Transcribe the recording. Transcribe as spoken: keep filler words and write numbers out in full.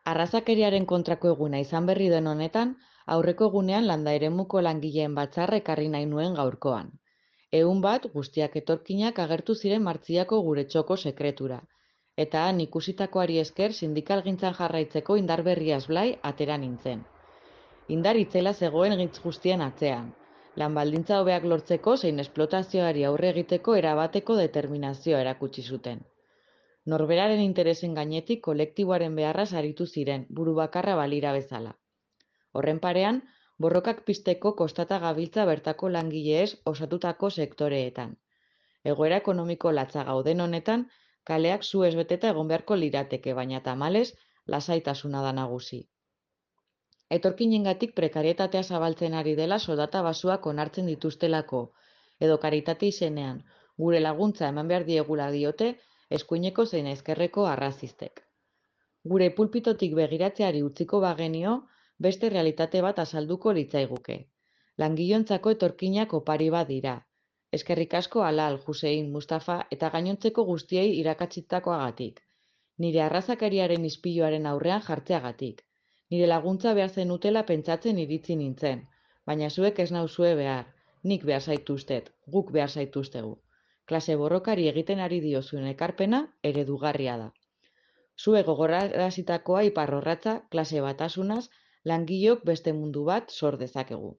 Arrazakeriaren kontrako eguna izan berri den honetan, aurreko egunean landa eremuko langileen batzarra ekarri nahi nuen gaurkoan. Ehun bat guztiak etorkinak agertu ziren Martziako gure txoko sekretura, eta han ikusitakoari esker sindikalgintzan jarraitzeko indar berriaz blai atera nintzen. Indar itzela zegoen hitz guztien atzean, lan baldintza hobeak lortzeko zein esplotazioari aurre egiteko erabateko determinazioa erakutsi zuten. Norberaren interesen gainetik kolektiboaren beharraz aritu ziren, buru bakarra balira bezala. Horren parean, borrokak pizteko kostata gabiltza bertako langileez osatutako sektoreetan. Egoera ekonomiko latza gauden honetan, kaleak suez beteta egon beharko lirateke, baina tamalez, lasaitasuna da nagusi. Etorkinengatik prekarietatea zabaltzen ari dela soldata basuak onartzen dituztelako, edo karitate izenean, gure laguntza eman behar diegula diote, eskuineko zein ezkerreko arrazistek. Gure pulpitotik begiratzeari utziko bagenio, beste realitate bat azalduko litzaiguke. Langilontzako etorkinak opari bat dira. Eskerrik asko Alal, Hussein, Mustafa eta gainontzeko guztiei irakatsitakoagatik. Nire arrazakariaren ispiluaren aurrean jartzeagatik. Nire laguntza behar zenutela pentsatzen iritzi nintzen, baina zuek ez nauzue behar, nik behar zaituztet, guk behar zaituztegu. Klase borrokari egiten ari diozuen ekarpena eredugarria da. Zue gogorarazitakoa iparrorratza, klase batasunaz, langilok beste mundu bat sor dezakegu.